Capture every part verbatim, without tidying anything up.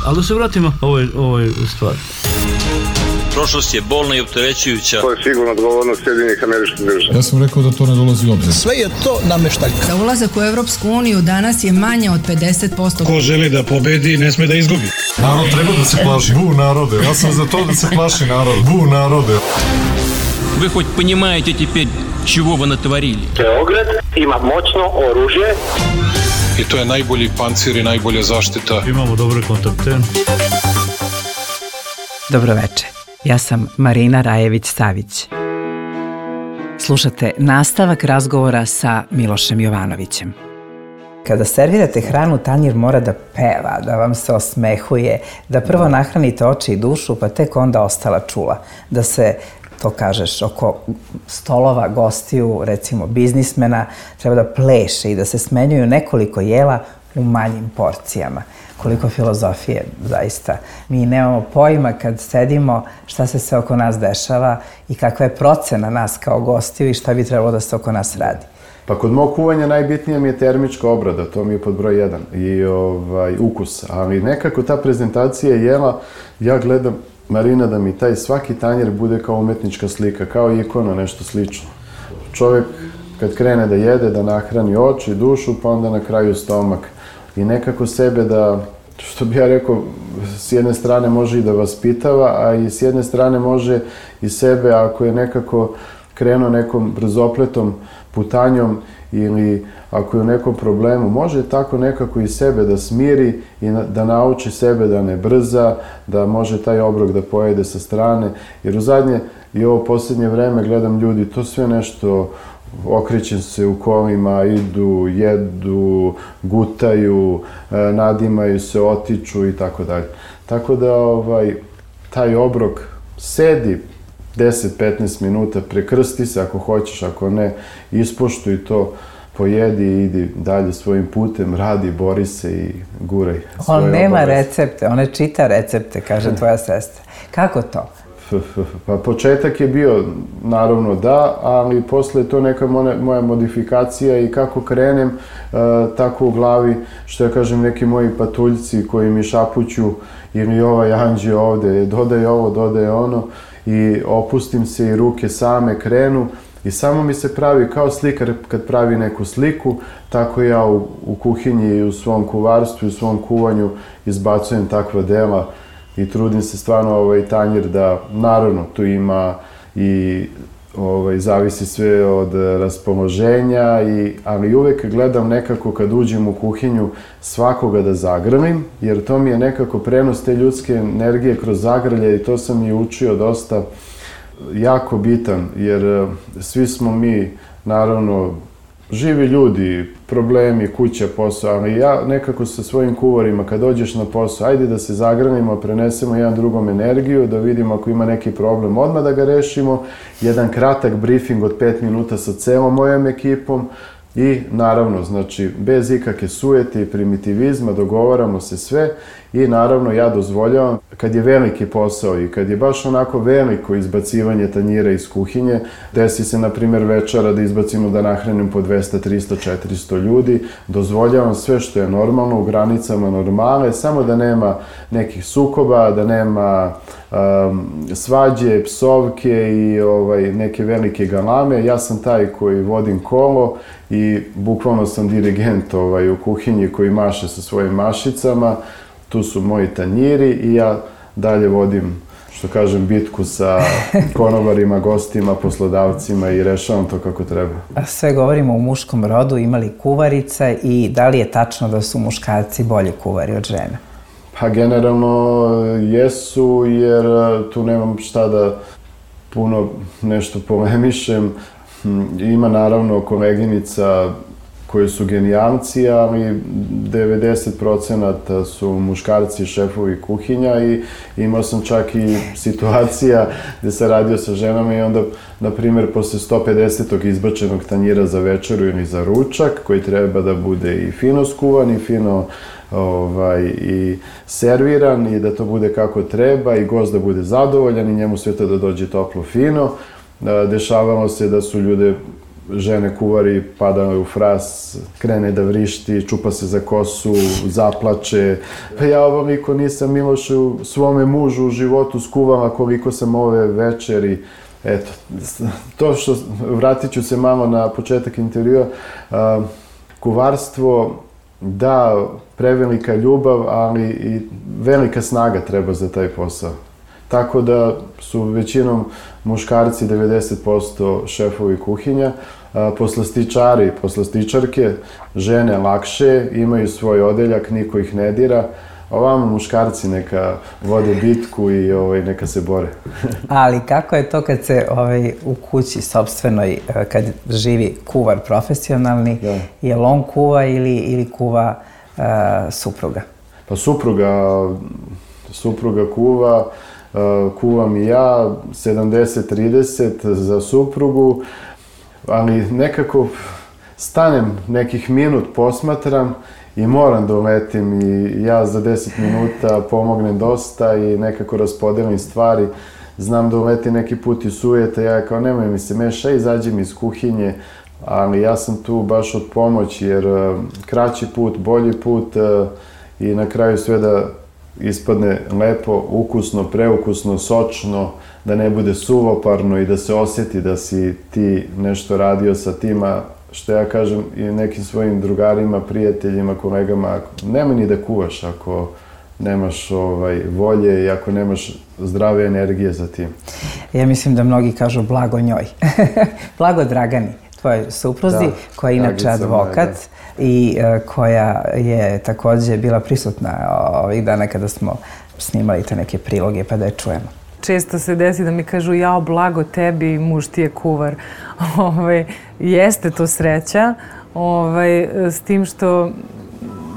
Ali da se vratimo ovoj, ovoj stvari. Prošlost je bolna i opterećujuća. To je sigurno odgovornost Sjedinjenih Američkih Država. Ja sam rekao da to ne dolazi u obzir. Sve je to nameštaljka. Za ulazak u Evropsku uniju danas je manje od pedeset posto. Ko želi da pobedi, ne sme da izgubi. Narod treba da se plaši. Bu narode. Ja sam za to da se plaši narod. Bu narode. Вы хоть понимаете теперь, чего вы натворили? Beograd ima moćno oružje. I to je najbolji pancir i najbolja zaštita. Imamo dobre kontakte. Dobroveče, ja sam Marina Rajević-Savić. Slušate nastavak razgovora sa Milošem Jovanovićem. Kada servirate hranu, tanjir mora da peva, da vam se osmehuje, da prvo nahranite oči i dušu, pa tek onda ostala čula. Da se, to kažeš, oko stolova gostiju, recimo biznismena, treba da pleše i da se smenjuju nekoliko jela u manjim porcijama. Koliko filozofije, zaista. Mi nemamo pojma kad sedimo šta se sve oko nas dešava i kakva je procena nas kao gostiju i šta bi trebalo da se oko nas radi. Pa kod mog kuvanja najbitnija mi je termička obrada, to mi je pod broj jedan, i ovaj, ukus. Ali nekako ta prezentacija jela, ja gledam, Marina, da mi taj svaki tanjer bude kao umetnička slika, kao ikona, nešto slično. Čovjek kad krene da jede, da nahrani oči, dušu, pa onda na kraju stomak. I nekako sebe da, što bi ja rekao, s jedne strane može i da vaspitava, a i s jedne strane može i sebe, ako je nekako krenuo nekom brzopletom putanjom ili ako je u nekom problemu, može tako nekako i sebe da smiri i da nauči sebe da ne brza, da može taj obrok da pojede sa strane. Jer u zadnje i ovo posljednje vreme gledam ljudi, to sve nešto okrećem se u kolima, idu, jedu, gutaju, nadimaju se, otiču i tako dalje. Tako da ovaj, taj obrok sedi deset do petnaest minuta, prekrsti se ako hoćeš, ako ne, ispoštuj to, pojedi i idi dalje svojim putem, radi, bori se i guraj svoje obaveze. On nema recepte, on ne čita recepte, kaže tvoja sestra. Kako to? Pa početak je bio, naravno da, ali posle je to neka moja modifikacija i kako krenem, tako u glavi, što ja kažem, neki moji patuljci koji mi šapuću ili ovaj anđeo ovde, dodaj ovo, dodaj ono, i opustim se i ruke same krenu i samo mi se pravi kao slikar kad pravi neku sliku, tako ja u, u kuhinji i u svom kuvarstvu i u svom kuvanju izbacujem takva dela i trudim se stvarno ovaj tanjir da, naravno, tu ima i ovaj, zavisi sve od raspoloženja, i, ali uvek gledam nekako kad uđem u kuhinju svakoga da zagrlim, jer to mi je nekako prenos te ljudske energije kroz zagrlje i to sam i učio dosta jako bitan, jer svi smo mi, naravno, živi ljudi, problemi, kuća, posao, ali ja nekako sa svojim kuvarima, kad dođeš na posao, ajde da se zagrlimo, prenesemo jedan drugom energiju, da vidimo ako ima neki problem, odmah da ga rešimo, jedan kratak briefing od pet minuta sa celom mojom ekipom i naravno, znači, bez ikakve sujete i primitivizma, dogovaramo se sve i naravno ja dozvoljavam, kad je veliki posao i kad je baš onako veliko izbacivanje tanjira iz kuhinje, desi se, na primjer, večera da izbacimo da nahranim po dvesta, trista, četiristo ljudi, dozvoljavam sve što je normalno, u granicama normale, samo da nema nekih sukoba, da nema um, svađe, psovke i ovaj, neke velike galame. Ja sam taj koji vodim kolo i bukvalno sam dirigent ovaj, u kuhinji koji maše sa svojim mašicama. Tu su moji tanjiri i ja dalje vodim, što kažem, bitku sa konobarima, gostima, poslodavcima i rešavam to kako treba. Sve govorimo o muškom rodu, ima li kuvarica i da li je tačno da su muškarci bolji kuvari od žena? Pa generalno jesu, jer tu nemam šta da puno nešto polemišem. Ima naravno koleginica koji su genijalci, ali devedeset procenata su muškarci šefovi kuhinja i imao sam čak i situacija gde sam radio sa ženama i onda, na primjer, posle sto pedesetog izbačenog tanjira za večeru ili za ručak, koji treba da bude i fino skuvan i fino ovaj, i serviran i da to bude kako treba i gost da bude zadovoljan i njemu sve to da dođe toplo fino. Dešavalo se da su ljude žene kuvari pada u fras, krene da vrišti, čupa se za kosu, zaplače. Pa ja ovom niko nisam Milošu svome mužu u životu skuvala koliko sam ove večeri. Eto, to što, vratit ću se malo na početak intervjua, kuvarstvo, da, prevelika ljubav, ali i velika snaga treba za taj posao. Tako da su većinom muškarci devedeset posto šefovi kuhinja, poslastičari, poslastičarke, žene lakše, imaju svoj odeljak, niko ih ne dira. Ovamo muškarci neka vode bitku i ovaj, neka se bore. Ali kako je to kad se ovaj, u kući sopstvenoj, kad živi kuvar profesionalni, da. Je li on kuva ili, ili kuva uh, supruga? Pa supruga, supruga kuva, uh, kuvam i ja, sedamdeset trideset za suprugu, ali nekako stanem nekih minut, posmatram, i moram da uletim i ja za deset minuta pomognem dosta i nekako raspodelim stvari. Znam da uleti neki put i sujete, ja kao nemoj mi se meša, izađi mi iz kuhinje, ali ja sam tu baš od pomoći jer kraći put, bolji put i na kraju sve da ispadne lepo, ukusno, preukusno, sočno, da ne bude suvoparno i da se osjeti da si ti nešto radio sa tima. Što ja kažem i nekim svojim drugarima, prijateljima, kolegama, nemoj ni da kuvaš ako nemaš ovaj, volje i ako nemaš zdrave energije za tim. Ja mislim da mnogi kažu blago njoj. Blago Dragani, tvojoj supruzi, da, koja je inače advokat moja, i uh, koja je takođe bila prisutna ovih dana kada smo snimali te neke priloge, pa da je čujemo. Često se desi da mi kažu jao blago tebi, muž ti je kuvar. Ove, jeste to sreća, ove, s tim što,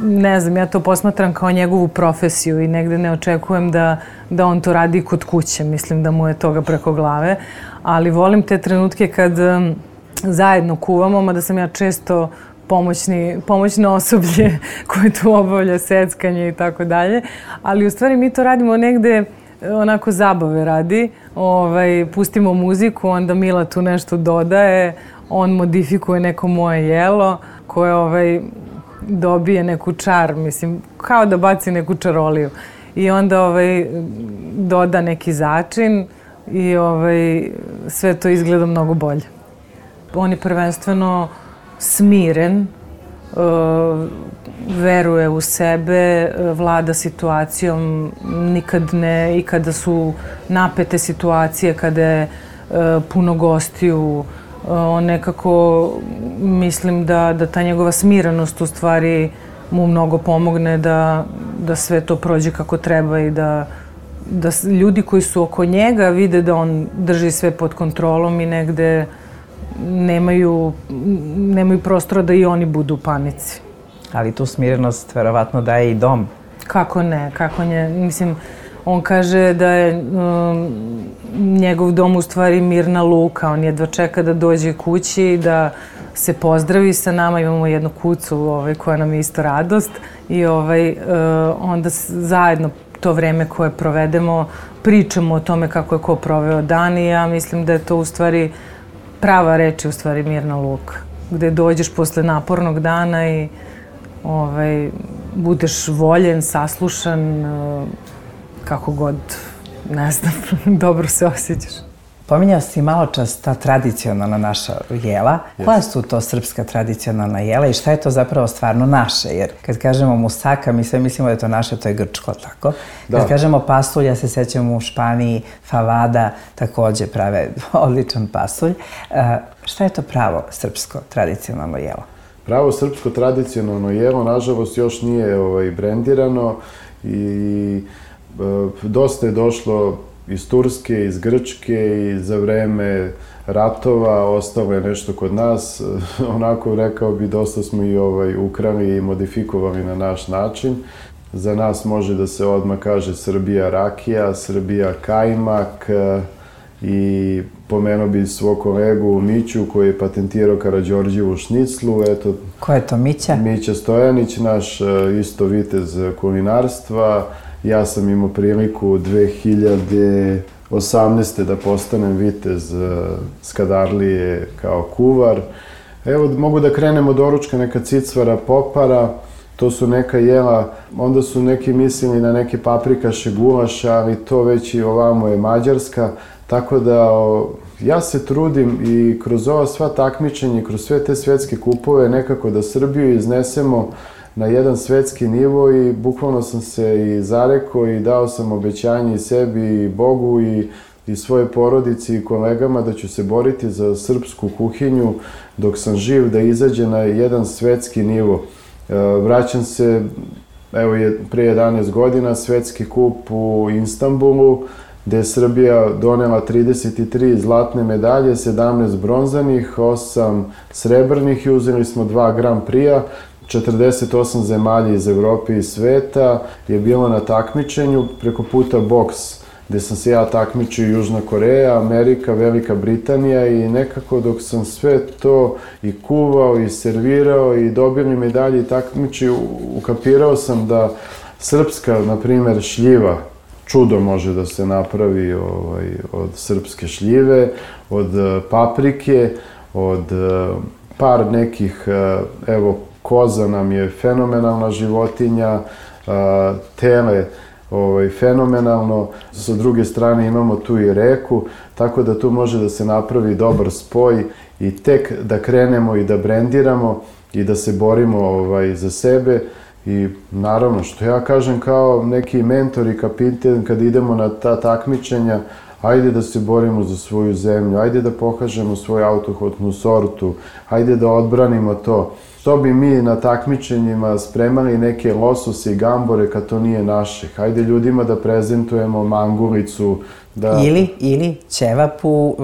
ne znam, ja to posmatram kao njegovu profesiju i negde ne očekujem da, da on to radi kod kuće. Mislim da mu je toga preko glave, ali volim te trenutke kad um, zajedno kuvamo, mada sam ja često pomoćni, pomoćno osoblje koje tu obavlja seckanje i tako dalje, ali u stvari mi to radimo negde onako zabave radi, ovaj, pustimo muziku, onda Mila tu nešto dodaje, on modifikuje neko moje jelo koje ovaj, dobije neku čar, mislim, kao da baci neku čaroliju. I onda ovaj, doda neki začin i ovaj, sve to izgleda mnogo bolje. On je prvenstveno smiren, uh, veruje u sebe, vlada situacijom, nikad ne, i kada su napete situacije, kada je uh, puno gostiju, uh, on nekako, mislim da, da ta njegova smirenost u stvari mu mnogo pomogne da, da sve to prođe kako treba i da, da ljudi koji su oko njega vide da on drži sve pod kontrolom i negde nemaju, nemaju prostora da i oni budu u panici. Ali tu smirenost verovatno daje i dom. Kako ne, kako ne. Mislim, on kaže da je um, njegov dom u stvari mirna luka. On jedva čeka da dođe kući, da se pozdravi sa nama. Imamo jednu kucu ovaj, koja nam je isto radost. I ovaj, uh, onda zajedno to vreme koje provedemo pričamo o tome kako je ko proveo dan i ja mislim da je to u stvari prava reč je u stvari mirna luka. Gde dođeš posle napornog dana i ovaj, budeš voljen, saslušan, kako god, ne znam, dobro se osjećaš. Pominjao si malo čas ta tradicionalna naša jela. Yes. Koja su to srpska tradicionalna jela i šta je to zapravo stvarno naše? Jer kad kažemo musaka, mi sve mislimo da je to naše, to je grčko, tako? Da. Kad kažemo pasulj, ja se sećam u Španiji, favada takođe prave odličan pasulj. Uh, šta je to pravo srpsko tradicionalno jelo? Pravo srpsko tradicionalno jelo, nažalost, još nije ovaj, brendirano i e, dosta je došlo iz Turske, iz Grčke i za vreme ratova ostalo je nešto kod nas. Onako, rekao bi, dosta smo i ovaj, ukrali i modifikovali na naš način. Za nas može da se odmah kaže Srbija rakija, Srbija kajmak i pomenuo bi svog kolegu Miću koji je patentirao Karađorđevu šniclu. Eto, ko je to Mića? Mića Stojanić, naš isto vitez kulinarstva. Ja sam imao priliku dve hiljade osamnaeste da postanem vitez Skadarlije kao kuvar. Evo, mogu da krenem od doručka, neka cicvara, popara, to su neka jela, onda su neki mislili na neke paprikaše, gulaše, ali to već i ovamo je Mađarska, tako da o, ja se trudim i kroz ova sva takmičenja, kroz sve te svetske kupove nekako da Srbiju iznesemo na jedan svetski nivo i bukvalno sam se i zarekao i dao sam obećanje i sebi i Bogu i, i svoje porodici i kolegama da ću se boriti za srpsku kuhinju dok sam živ, da izađe na jedan svetski nivo. Vraćam se, evo je pre jedanaest godina, svetski kup u Istanbulu, gde je Srbija donela trideset tri zlatne medalje, sedamnaest bronzanih, osam srebrnih i uzeli smo dva Grand Prix-a. četrdeset osam zemalja iz Evrope i sveta je bilo na takmičenju, preko puta boks, gde sam se ja takmičio Južna Koreja, Amerika, Velika Britanija i nekako dok sam sve to i kuvao i servirao i dobili medalje i takmičio, ukapirao sam da srpska, na primer, šljiva, čudo može da se napravi ovaj, od srpske šljive, od paprike, od par nekih, evo, koza nam je fenomenalna životinja, tele ovaj, fenomenalno, sa druge strane imamo tu i reku, tako da tu može da se napravi dobar spoj i tek da krenemo i da brendiramo i da se borimo ovaj, za sebe. I naravno, što ja kažem kao neki mentor i kapiten kad idemo na ta takmičenja, ajde da se borimo za svoju zemlju, ajde da pokažemo svoju autohtonu sortu, ajde da odbranimo to. Što bi mi na takmičenjima spremali neke losose i gambore kad to nije naše? Hajde ljudima da prezentujemo mangulicu, da... Ili, ili ćevap u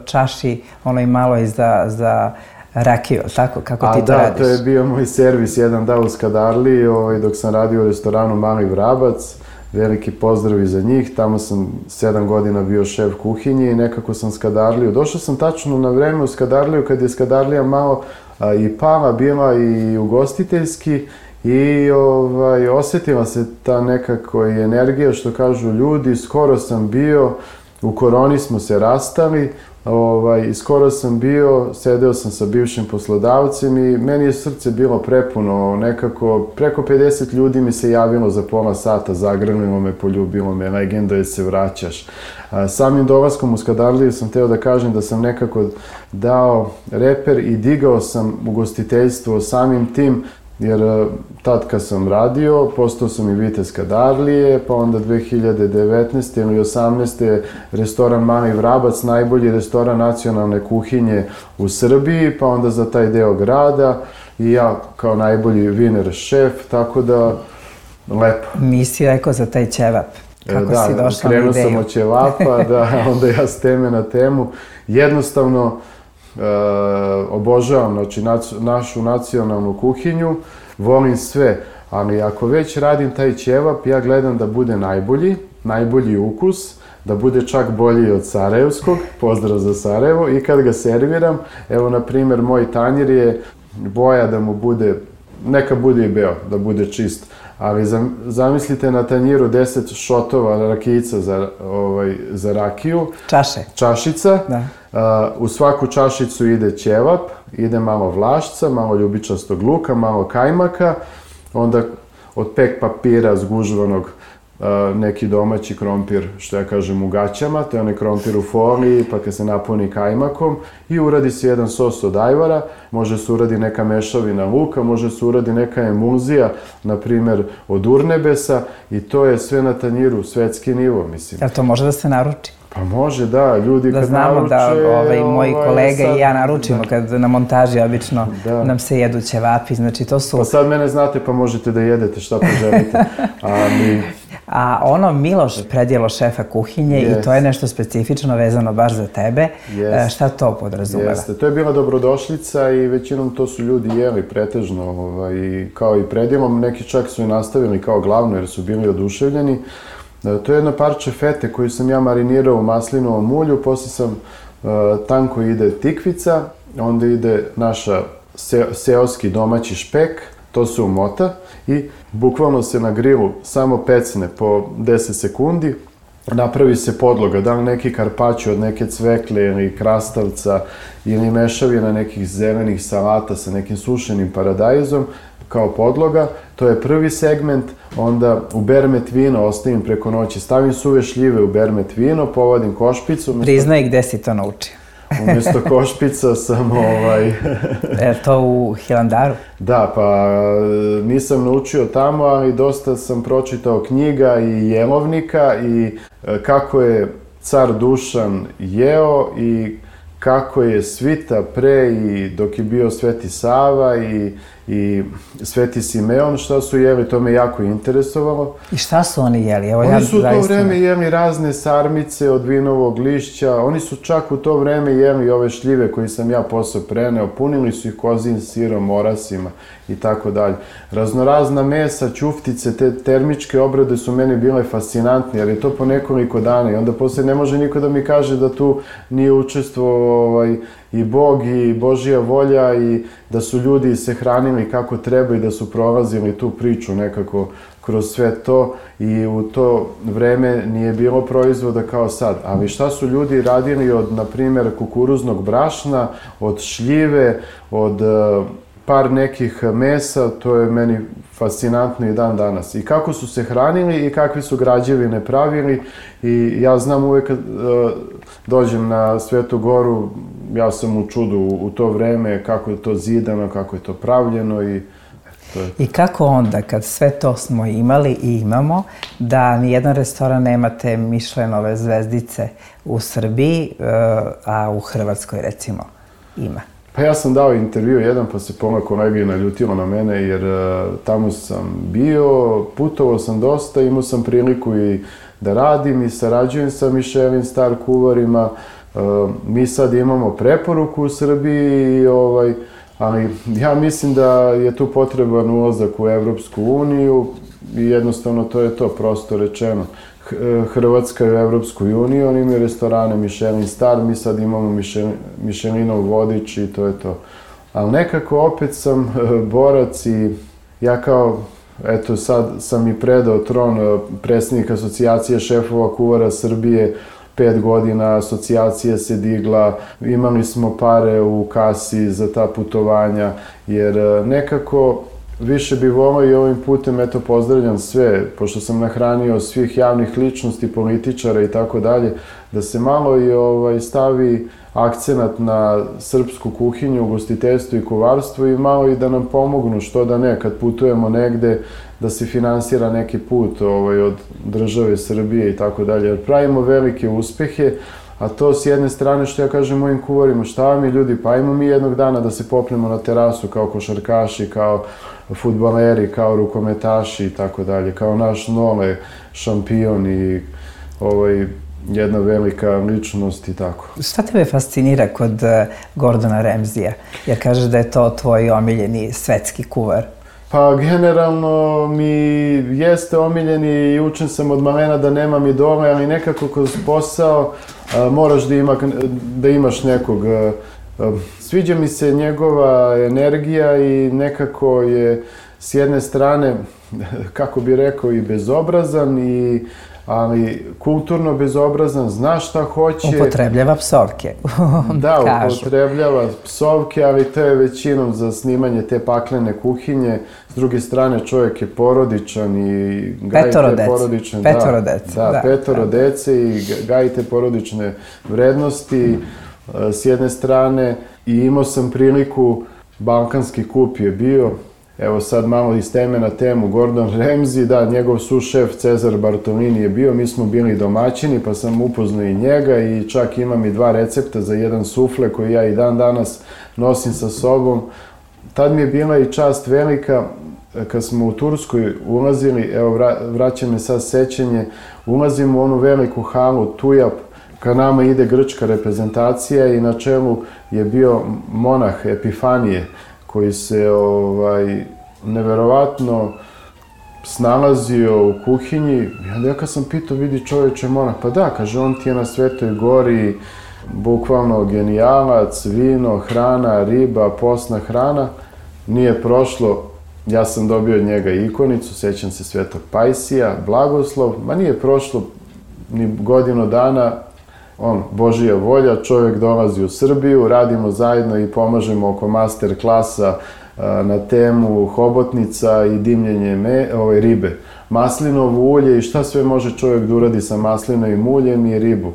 čaši, onoj maloj za, za rakiju, tako? Kako ti to da, radiš? To je bio moj servis jedan dan u Skadarliji, ovaj, dok sam radio u restoranu Mali Vrabac. Veliki pozdrav i za njih, tamo sam sedam godina bio šef kuhinje i nekako sam Skadarliju. Došao sam tačno na vreme u Skadarliju kad je Skadarlija malo a, i pala, bila i ugostiteljski i ovaj, osetila se ta nekako i energija, što kažu ljudi. Skoro sam bio, u koroni smo se rastali, ovaj, i skoro sam bio, sedeo sam sa bivšim poslodavcem i meni je srce bilo prepuno, nekako preko pedeset ljudi mi se javilo za pola sata, zagrlilo me, poljubilo me, legendo je se vraćaš. A, samim dolaskom u Skadarliju sam teo da kažem da sam nekako dao reper i digao sam ugostiteljstvo samim tim, jer tad kad sam radio, postao sam i vitez Skadarlije, pa onda dve hiljade devetnaeste ili osamnaeste restoran Mali Vrabac, najbolji restoran nacionalne kuhinje u Srbiji, pa onda za taj deo grada i ja kao najbolji viner šef, tako da lepo. Nisi rekao za taj ćevap. Kako da, si došao na ideju? Krenuo sam od ćevapa, da, onda ja s teme na temu. Jednostavno, Uh, obožavam, znači, nac, našu nacionalnu kuhinju, volim sve, ali ako već radim taj ćevap, ja gledam da bude najbolji, najbolji ukus, da bude čak bolji od sarajevskog, pozdrav za Sarajevo, i kad ga serviram, evo, na primjer, moj tanjir je boja da mu bude, neka bude i beo, da bude čist, ali zamislite na tanjiru deset šotova rakijica za, ovaj, za rakiju. Čaše. Čašica. Da. Uh, u svaku čašicu ide ćevap, ide malo vlašca, malo ljubičastog luka, malo kajmaka, onda od pek papira zgužvanog uh, neki domaći krompir, što ja kažem, u gaćama, to je onaj krompir u foliji, pa kad se napuni kajmakom i uradi se jedan sos od ajvara, može se uradi neka mešavina luka, može se uradi neka emulzija, na primer od urnebesa, i to je sve na tanjiru, svetski nivo, mislim. Jel to može da se naruči? Pa može, da, ljudi da kad znamo naruče... Da znamo ovaj, da moji ovaj, kolega sad, i ja naručimo da. Kad na montaži obično da. Nam se jedu ćevapi, znači to su... Pa sad mene znate pa možete da jedete šta poželite. A, mi... A ono Miloš, predjelo šefa kuhinje, yes. I to je nešto specifično vezano baš za tebe. Yes. Šta to podrazumeva? Jeste, to je bila dobrodošlica i većinom to su ljudi jeli pretežno, ovaj, kao i predjelom. Neki čak su i nastavili kao glavno jer su bili oduševljeni. To je jedno parče fete koju sam ja marinirao u maslinovom ulju, posle sam uh, tanko ide tikvica, onda ide naša se, seoski domaći špek, to se umota i bukvalno se na grilu samo pecne po deset sekundi napravi se podloga, da li neki karpačo od neke cvekle ili krastavca ili mešavina nekih zelenih salata sa nekim sušenim paradajzom kao podloga, to je prvi segment. Onda u bermet vino ostavim preko noći, stavim suve šljive u bermet vino, povadim košpicu. Umjesto... Priznaj gde si to naučio. Umjesto košpica sam ovaj... Je to u Hilandaru? Da, pa nisam naučio tamo, ali dosta sam pročitao knjiga i jelovnika i kako je car Dušan jeo i kako je svita pre i dok je bio Sveti Sava i, i Sveti Simeon, šta su jeli, to me jako interesovalo. I šta su oni jeli? Evo, oni ja su u to zaista... vreme jeli razne sarmice od vinovog lišća, oni su čak u to vreme jeli ove šljive koje sam ja posle preneo, punili su ih kozin sirom, morasima i tako dalje. Raznorazna mesa, ćuftice, te termičke obrade su meni bile fascinantne, jer je to po nekoliko dana i onda posle ne može niko da mi kaže da tu nije učestvovao ovaj, i Bog i Božja volja i da su ljudi se hranili kako treba i da su prolazili tu priču nekako kroz sve to i u to vreme nije bilo proizvoda kao sad. Ali šta su ljudi radili od, na primjer, kukuruznog brašna, od šljive, od uh, par nekih mesa, to je meni fascinantno i dan danas. I kako su se hranili i kakve su građevine pravili i ja znam uvek kad uh, dođem na Svetu Goru, ja sam u čudu u to vreme kako je to zidano, kako je to pravljeno i to je... I kako onda, kad sve to smo imali i imamo, da nijedan restoran nemate Mišlenove zvezdice u Srbiji, a u Hrvatskoj recimo ima? Pa ja sam dao intervju jedan, pa se pola kolegi naljutilo na mene, jer uh, tamo sam bio, putovao sam dosta, imao sam priliku i da radim i sarađujem sa Michelin star kuvarima. Uh, mi sad imamo preporuku u Srbiji, i, ovaj, ali ja mislim da je tu potreban ulazak u Evropsku uniju i jednostavno to je to, prosto rečeno. Hrvatska je u Evropskoj uniji, oni imaju restorane Michelin star, mi sad imamo Michelinov vodič i to je to. Ali nekako opet sam borac i ja kao, eto sad sam i predao tron predsjednik asocijacije šefova kuvara Srbije, pet godina asocijacija se digla, imali smo pare u kasi za ta putovanja, jer nekako više bi volao i ovim putem, eto, pozdravljam sve, pošto sam nahranio svih javnih ličnosti, političara i tako dalje, da se malo i ovaj, stavi akcenat na srpsku kuhinju, ugostiteljstvo i kuvarstvo i malo i da nam pomognu, što da ne, kad putujemo negde, da se finansira neki put ovaj, od države Srbije i tako dalje, jer pravimo velike uspehe, a to s jedne strane, što ja kažem mojim kuvarima, šta mi ljudi, pa ajmo mi jednog dana da se popnemo na terasu kao košarkaši, kao fudbaleri, kao rukometaši i tako dalje, kao naš Nole, šampion i ovaj, jedna velika ličnost i tako. Šta tebe fascinira kod Gordona Ramsaya? Jer kažeš da je to tvoj omiljeni svetski kuvar. Pa generalno mi jeste omiljeni i učen sam od malena da nemam idole, ali nekako kroz posao a, moraš da, ima, da imaš nekog. A, a, sviđa mi se njegova energija i nekako je s jedne strane, kako bi rekao, i bezobrazan, i, ali kulturno bezobrazan, zna šta hoće. Upotrebljava psovke, da, upotrebljava psovke, ali to je većinom za snimanje te paklene kuhinje. S druge strane, čovjek je porodičan i gaji te porodične... Petoro dece. Da, da, petoro dece i gaji te porodične vrednosti s jedne strane. I imao sam priliku, balkanski kup je bio, evo sad malo iz teme na temu, Gordon Ramsay, da, njegov sušef Cezar Bartolini je bio, mi smo bili domaćini, pa sam upoznao i njega i čak imam i dva recepta za jedan sufle koji ja i dan danas nosim sa sobom. Tad mi je bila i čast velika, kad smo u Turskoj ulazili, evo vraća me sad sećanje, ulazimo u onu veliku halu Tujap, ka nama ide grčka reprezentacija i na čelu je bio monah Epifanije, koji se ovaj, neverovatno snalazio u kuhinji. I onda ja kad sam pitao, vidi čovječe monah, pa da, kaže, on ti je na Svetoj Gori bukvalno genijalac, vino, hrana, riba, postna hrana. Nije prošlo, ja sam dobio od njega ikonicu, sećam se Svetog Pajsija, blagoslov, ma nije prošlo ni godinu dana, on, Božija volja, čovjek dolazi u Srbiju, radimo zajedno i pomažemo oko master klasa na temu hobotnica i dimljenje me, ove, ribe. Maslinovo ulje i šta sve može čovjek da uradi sa maslinovim uljem i ribu.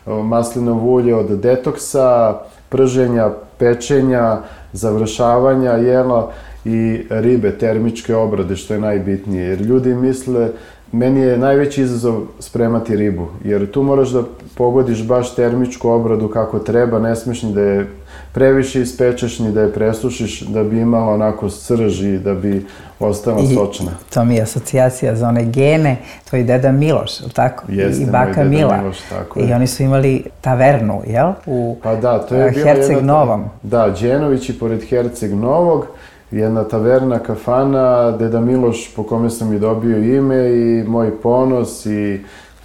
Maslinovo ulje od detoksa, prženja, pečenja, završavanja jela i ribe, termičke obrade, što je najbitnije. Jer ljudi misle, meni je najveći izazov spremati ribu, jer tu moraš da pogodiš baš termičku obradu kako treba, ne smiješ ni da je previše ispečeš, ni da je presušiš, da bi imala onako srž i da bi ostala sočna. I to mi je asocijacija za one gene, to je deda Miloš, ili tako? Jeste, i baka moj deda Mila. Miloš, tako je. I oni su imali tavernu, jel? U pa da, to je Herceg Novom. Da, Đenovići pored Herceg Novog, jedna taverna, kafana, deda Miloš po kome sam i dobio ime i moj ponos i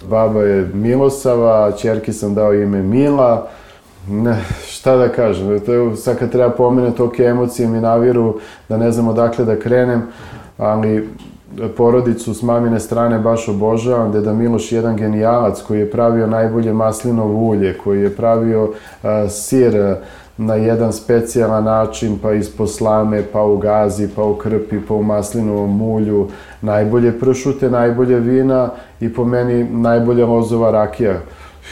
baba je Milosava, ćerki sam dao ime Mila. Ne, šta da kažem, to je, sad kad treba pomenuti, toke emocije mi naviru da ne znam odakle da krenem, ali porodicu s mamine strane baš obožavam. Deda Miloš je jedan genijalac koji je pravio najbolje maslinovo ulje, koji je pravio uh, sir na jedan specijalan način, pa iz poslame, pa u gazi, pa u krpi, pa u maslinovom ulju, najbolje pršute, najbolje vina i po meni najbolja lozova rakija.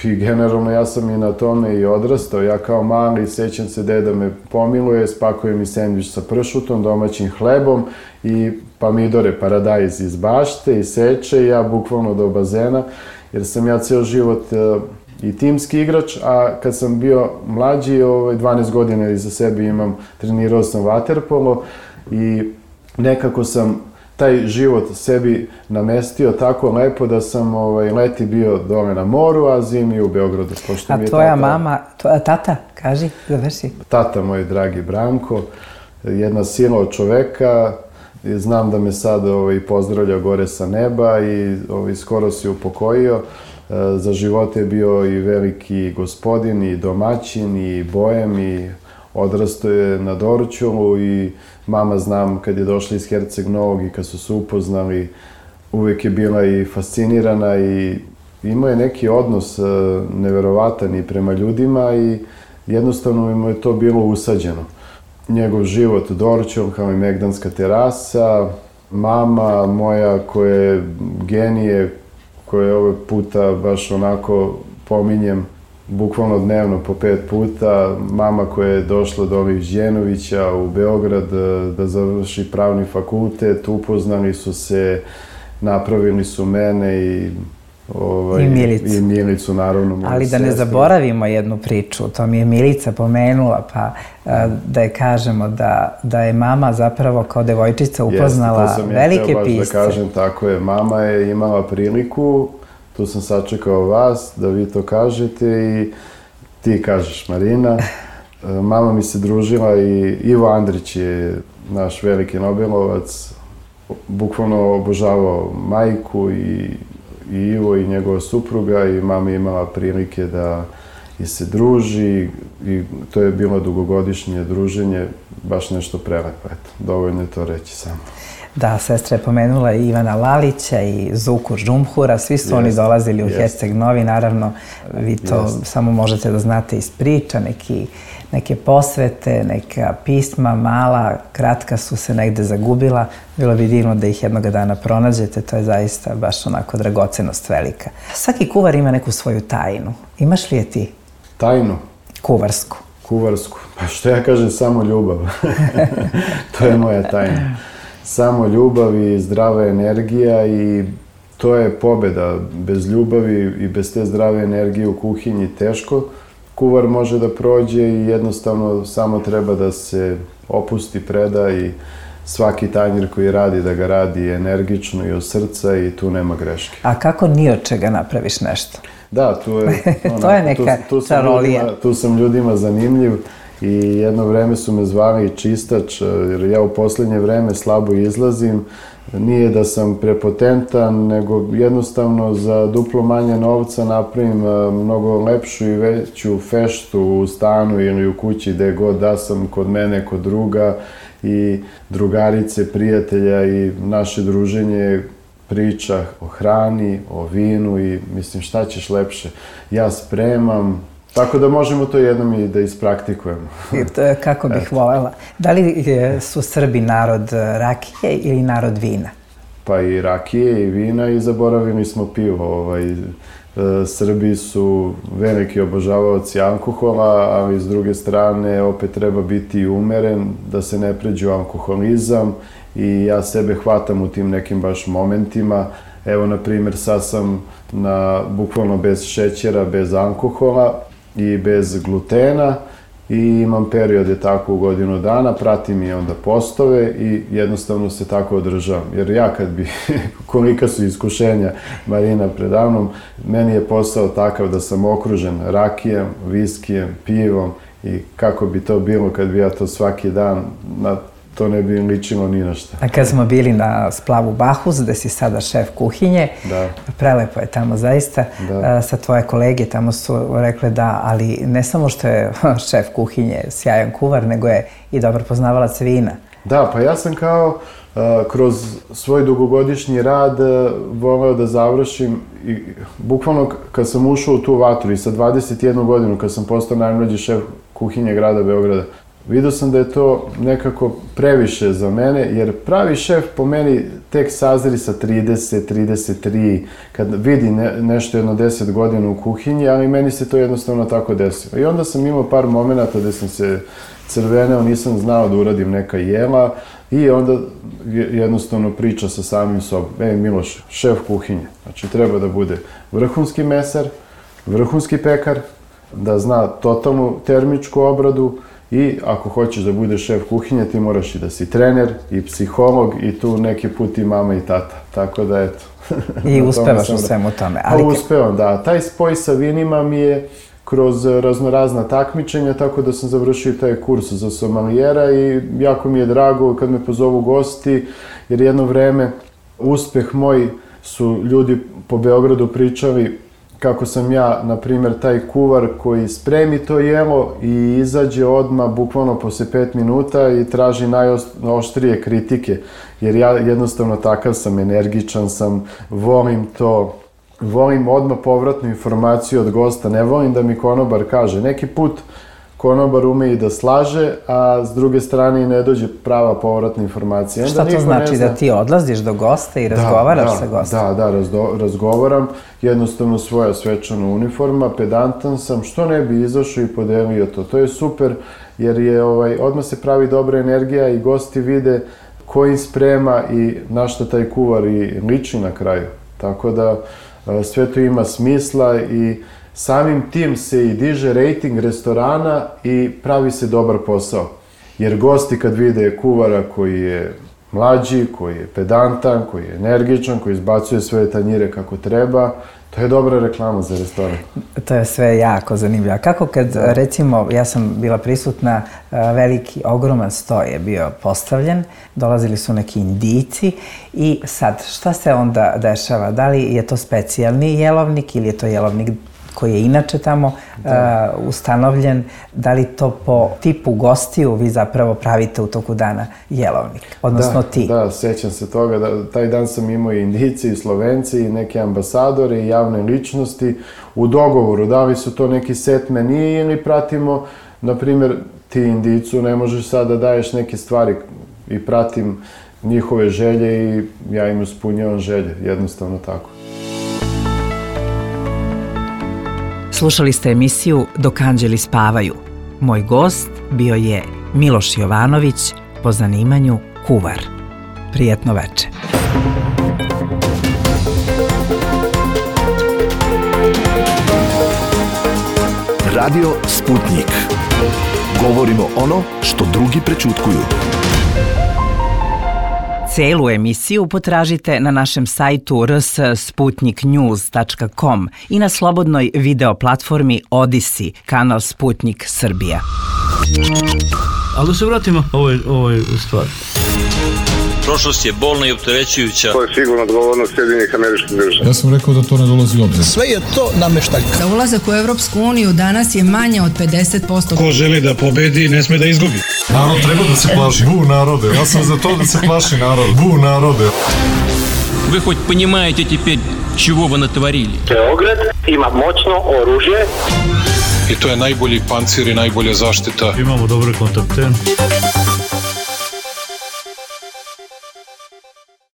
I generalno ja sam i na tome i odrastao. Ja kao mali, sećam se, deda me pomiluje, spakuje mi sendvič sa pršutom, domaćim hlebom i pomidore, paradajz iz bašte i seče i ja bukvalno do bazena, jer sam ja ceo život i timski igrač, a kad sam bio mlađi, dvanaest godina iza sebe imam, trenirao sam vaterpolo i nekako sam taj život sebi namestio tako lepo da sam ovaj, leti bio dole na moru, a zimi u Beogradu. A mi je tvoja tata, mama, tvoja tata, kaži, završi. Tata moj dragi Branko, jedna sila od čoveka, znam da me sad ovaj, pozdravlja gore sa neba i ovaj, skoro se upokojio. Za živote je bio i veliki gospodin, i domaćin, i bojem, i odrastao je na Dorćolu i mama, znam, kad je došla iz Herceg Novog i kad su se upoznali, uvijek je bila i fascinirana i imao je neki odnos neverovatan i prema ljudima i jednostavno mu je to bilo usađeno. Njegov život Dorćol, kao i Megdanska terasa, mama moja koja je genije, koje ovaj puta baš onako pominjem, bukvalno dnevno po pet puta, mama koja je došla do ovih Đenovića u Beograd da završi pravni fakultet, upoznali su se, napravili su mene i ovaj, I Milicu. I Milicu, naravno. Ali da ne zaboravimo jednu priču, to mi je Milica pomenula, pa da je kažemo da, da je mama zapravo kao devojčica upoznala Jeste, velike pisce. To sam ja htio baš da kažem, tako je. Mama je imala priliku, tu sam sačekao vas, da vi to kažete i ti kažeš, Marina. Mama mi se družila i Ivo Andrić je naš veliki Nobelovac, bukvalno obožavao majku i i Ivo i njegova supruga i mama je imala prilike da i se druži i to je bilo dugogodišnje druženje, baš nešto prelepo, eto, dovoljno je to reći samo. Da, sestra je pomenula i Ivana Lalića i Zuku Žumhura, svi su jest, oni dolazili u jest. Herceg Novi, naravno, vi to jest. Samo možete da znate iz priča, neki, neke posvete, neka pisma, mala, kratka su se negde zagubila, bilo bi divno da ih jednog dana pronađete, to je zaista baš onako dragocenost velika. Svaki kuvar ima neku svoju tajnu, imaš li je ti? Tajnu? Kuvarsku. Kuvarsku, pa što ja kažem, samo ljubav, to je moja tajna. Samo ljubav i zdrava energija i to je pobeda. Bez ljubavi i bez te zdrave energije u kuhinji teško. Kuvar može da prođe i jednostavno samo treba da se opusti, preda i svaki tanjir koji radi da ga radi energično i od srca i tu nema greške. A kako ni od čega napraviš nešto? Da, tu je, ona, to je neka tu, tu čarolija. Ljudima, tu sam ljudima zanimljiv. I jedno vreme su me zvali čistač, jer ja u posljednje vreme slabo izlazim. Nije da sam prepotentan, nego jednostavno za duplo manje novca napravim mnogo lepšu i veću feštu u stanu ili u kući gde god da sam, kod mene, kod druga i drugarice, prijatelja i naše druženje priča o hrani, o vinu i mislim šta ćeš lepše. Ja spremam, tako da možemo to jednom i da ispraktikujemo. Kako bih voljela. Da li su Srbi narod rakije ili narod vina? Pa i rakije i vina i zaboravili smo pivo. Ovaj, Srbi su veliki obožavaoci alkohola, ali s druge strane opet treba biti umeren, da se ne pređe u alkoholizam i ja sebe hvatam u tim nekim baš momentima. Evo, na primjer, sad sam na, bukvalno bez šećera, bez alkohola i bez glutena i imam periode tako u godinu dana, pratim i onda postove i jednostavno se tako održavam. Jer ja kad bi, kolika su iskušenja Marina predavnom, meni je posao takav da sam okružen rakijem, viskijem, pivom i kako bi to bilo kad bi ja to svaki dan, na to ne bi ličilo ni na šta. A kad smo bili na splavu Bahus, gde si sada šef kuhinje, da. Prelepo je tamo zaista, da. Sa tvoje kolege tamo su rekle da, ali ne samo što je šef kuhinje sjajan kuvar, nego je i dobar poznavalac vina. Da, pa ja sam kao uh, kroz svoj dugogodišnji rad uh, voleo da završim i bukvalno kad sam ušao u tu vatru i sa dvadeset jednu godinu kad sam postao najmlađi šef kuhinje grada Beograda, vidio sam da je to nekako previše za mene, jer pravi šef po meni tek sazri sa trideset, trideset tri, kad vidi ne, nešto jedno deset godina u kuhinji, ali meni se to jednostavno tako desilo. I onda sam imao par momenata gde sam se crveneo, nisam znao da uradim neka jela i onda jednostavno priča sa samim sobom. Ej, Miloš, šef kuhinje, znači treba da bude vrhunski mesar, vrhunski pekar, da zna totalnu termičku obradu, i ako hoćeš da budeš šef kuhinje, ti moraš i da si trener, i psiholog, i tu neki put i mama i tata. Tako da, eto. I uspevaš u svemu tome. Ali... Pa uspevam, da. Taj spoj sa vinima mi je kroz raznorazna takmičenja, tako da sam završio taj kurs za somalijera i jako mi je drago kad me pozovu gosti, jer jedno vreme uspeh moj su ljudi po Beogradu pričali kako sam ja, na primjer, taj kuvar koji spremi to jelo i izađe odmah, bukvalno posle pet minuta i traži najoštrije kritike, jer ja jednostavno takav sam, energičan sam, volim to, volim odmah povratnu informaciju od gosta, ne volim da mi konobar kaže. Neki put konobar ume i da slaže, a s druge strane i ne dođe prava povratna informacija. Šta to znači, da ti odlaziš do gosta i razgovaraš sa gostom? Da, da, razgovaram, jednostavno svoja svečana uniforma, pedantan sam, što ne bi izašao i podelio to. To je super, jer je odmah se pravi dobra energija i gosti vide ko im sprema i na šta taj kuvar i liči na kraju. Tako da sve to ima smisla i samim tim se i diže rejting restorana i pravi se dobar posao. Jer gosti kad vide kuvara koji je mlađi, koji je pedantan, koji je energičan, koji izbacuje sve tanjire kako treba, to je dobra reklama za restoran. To je sve jako zanimljivo. A kako kad, recimo, ja sam bila prisutna, veliki, ogroman sto je bio postavljen, dolazili su neki Indijci i sad, šta se onda dešava? Da li je to specijalni jelovnik ili je to jelovnik koji je inače tamo uh, ustanovljen, da li to po tipu gostiju vi zapravo pravite u toku dana jelovnik, odnosno da, ti? Da, sećam se toga, da, taj dan sam imao i Indijci i Slovenci i neke ambasadore i javne ličnosti u dogovoru, da li su to neki set menije ili pratimo, na primjer, ti Indijcu ne možeš sad da daješ neke stvari i pratim njihove želje i ja im ispunjavam želje, jednostavno tako. Slušali ste emisiju Dok anđeli spavaju. Moj gost bio je Miloš Jovanović, po zanimanju kuvar. Prijetno veče. Radio Sputnik. Govorimo ono što drugi prećutkuju. Celu emisiju potražite na našem sajtu r s sputnik news tačka com i na slobodnoj video platformi Odisi, kanal Sputnik Srbija. Ali da se vratimo ovoj, ovoj stvari. Prošlost je bolna i opterećujuća. To je sigurno odgovornost Sjedinjenih Američkih Država. Ja sam rekao da to ne dolazi u obzir. Sve je to nameštaljka. Za ulazak u Evropsku uniju danas je manje od pedeset posto. Ko želi da pobedi, ne sme da izgubi. Narod treba da se plaši. Bu narode, ja sam za to da se plaši narod. Bu narode. Вы хоть понимаете теперь, чего вы натворили? Beograd ima moćno oružje. I to je najbolji pancir i najbolja zaštita. Imamo dobre kontakte.